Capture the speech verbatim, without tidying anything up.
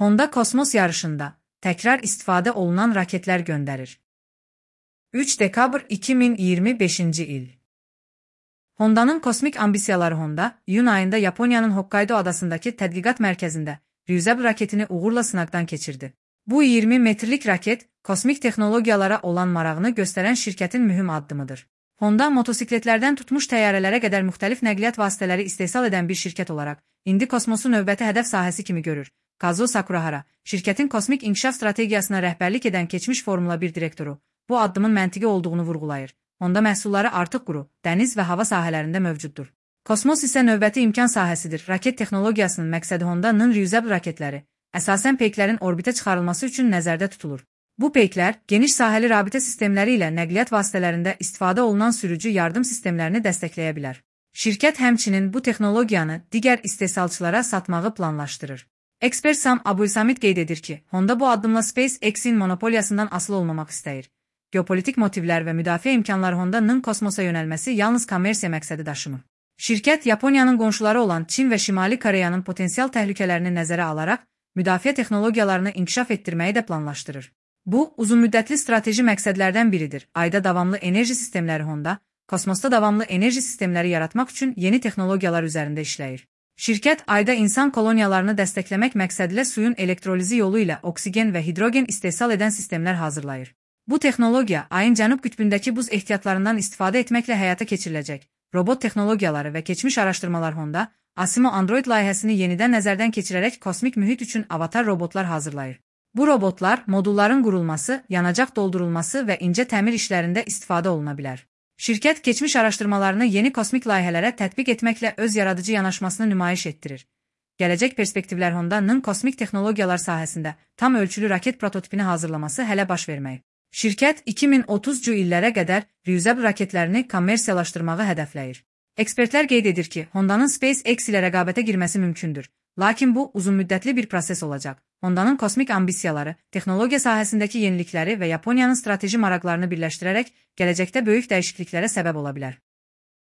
Honda kosmos yarışında tekrar istifade olunan raketler gönderir. üç dekabr iki min iyirmi beşinci il. Honda'nın kosmik ambisiyaları Honda, iyun ayında Yaponya'nın Hokkaido adasındaki tədqiqat mərkəzində Ryuzab raketini uğurla sınaqdan keçirdi. Bu iyirmi metrlik raket, kosmik texnologiyalara olan marağını göstərən şirkətin mühüm addımıdır. Honda, motosikletlərdən tutmuş təyyarələrə qədər müxtəlif nəqliyyat vasitələri istehsal edən bir şirkət olaraq, indi kosmosu növbəti hədəf sahəsi kimi görür. Kazuo Sakurahara, şirkətin kosmik inkişaf strategiyasına rəhbərlik edən keçmiş Formula bir direktoru, bu addımın məntiqi olduğunu vurğulayır. Honda məhsulları artıq quru, dəniz və hava sahələrində mövcuddur. Kosmos isə növbəti imkan sahəsidir. Raket texnologiyasının məqsədi Honda'nın Ryuzab raketləri, əsasən peyklərin orbitə çıxarılması üçün nəzərdə tutulur. Bu peyklər, geniş sahəli rabitə sistemləri ilə nəqliyyat vasitələrində istifadə olunan sürücü yardım sistemlərini dəstəkləyə bilər. Şirkət həmçinin bu texnologiyanı digər istehsalçılara satmağı planlaşdırır. Ekspert Sam Abulsamid qeyd edir ki, Honda bu addımla SpaceX-in monopoliyasından asılı olmamaq istəyir. Geopolitik motivlər və müdafiə imkanları Honda'nın kosmosa yönəlməsi yalnız kommersiya məqsədi daşımır. Şirkət, Yaponiyanın qonşuları olan Çin və Şimali Koreyanın potensial təhlükələrini nəzərə alaraq, müdafiə texnologiyalarını inkişaf etdirməyi də planlaşdırır. Bu, uzunmüddətli strateji məqsədlərdən biridir. Ayda davamlı enerji sistemləri Honda, kosmosda davamlı enerji sistemləri yaratmaq üçün yeni texnologiyalar üzərində işləyir. Şirkət, ayda insan koloniyalarını dəstəkləmək məqsədilə suyun elektrolizi yolu ilə oksigen və hidrogen istehsal edən sistemlər hazırlayır. Bu texnologiya, ayın cənub qütbündəki buz ehtiyatlarından istifadə etməklə həyata keçiriləcək. Robot texnologiyaları və keçmiş araşdırmalar Honda, Asimo Android layihəsini yenidən nəzərdən keçirərək kosmik mühit üçün avatar robotlar hazırlayır. Bu robotlar, modulların qurulması, yanacaq doldurulması və incə təmir işlərində istifadə oluna bilər. Şirkət, keçmiş araşdırmalarını yeni kosmik layihələrə tətbiq etməklə öz yaradıcı yanaşmasını nümayiş etdirir. Gələcək perspektivlər Honda'nın kosmik texnologiyalar sahəsində tam ölçülü raket prototipini hazırlaması hələ baş verməyib. Şirkət, iki min otuzuncu illərə qədər Ryuzab raketlərini kommersiyalaşdırmağı hədəfləyir. Ekspertlər qeyd edir ki, Honda'nın SpaceX ilə rəqabətə girməsi mümkündür. Lakin bu, uzunmüddətli bir proses olacaq. Honda'nın kosmik ambisiyaları, texnologiya sahəsindəki yenilikləri və Yaponiyanın strateji maraqlarını birləşdirərək gələcəkdə böyük dəyişikliklərə səbəb ola bilər.